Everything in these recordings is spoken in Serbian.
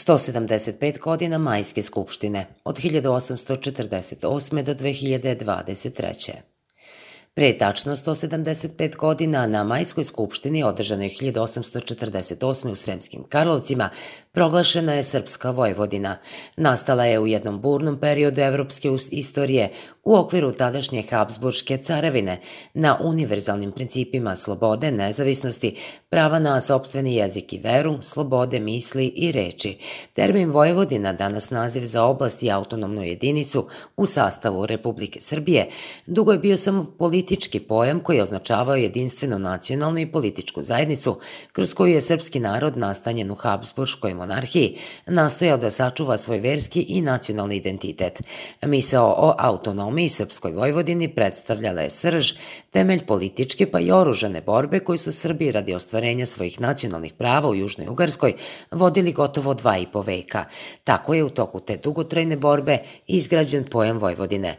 175 godina Majske skupštine, od 1848. do 2023. Pre tačno 175 godina na Majskoj skupštini, održanoj 1848. u Sremskim Karlovcima, proglašena je Srpska Vojvodina. Nastala je u jednom burnom periodu evropske istorije u okviru tadašnje Habsburške carevine na univerzalnim principima slobode, nezavisnosti, prava na sopstveni jezik i veru, slobode misli i reči. Termin Vojvodina, danas naziv za oblast i autonomnu jedinicu u sastavu Republike Srbije, dugo je bio samo politički pojam koji je označavao jedinstvenu nacionalnu i političku zajednicu kroz koju je srpski narod nastanjen u Habsburškoj monarhiji nastojao da sačuva svoj verski i nacionalni identitet. Misao o autonomiji Srpskoj Vojvodini predstavljala je srž, temelj političke pa i oružane borbe koji su Srbi radi ostvarenja svojih nacionalnih prava u Južnoj Ugarskoj vodili gotovo 2,5 veka. Tako je u toku te dugotrajne borbe izgrađen pojam Vojvodine.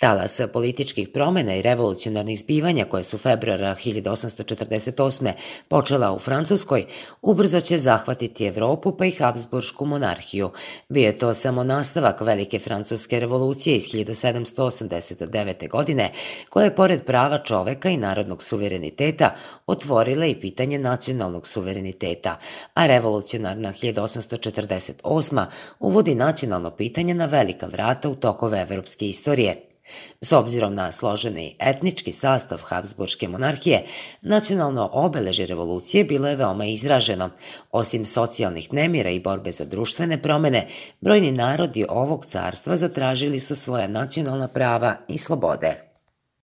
Talas političkih promena i revolucionarnih zbivanja koje su februara 1848. počela u Francuskoj, ubrzo će zahvatiti Evropu pa i Habsburšku monarhiju. Bio je to samo nastavak Velike francuske revolucije iz 1789. godine, koja je pored prava čoveka i narodnog suvereniteta otvorila i pitanje nacionalnog suvereniteta, a revolucionarna 1848. uvodi nacionalno pitanje na velika vrata u tokove evropske istorije. S obzirom na složeni etnički sastav Habsburške monarhije, nacionalno obeležje revolucije bilo je veoma izraženo. Osim socijalnih nemira i borbe za društvene promene, brojni narodi ovog carstva zatražili su svoja nacionalna prava i slobode.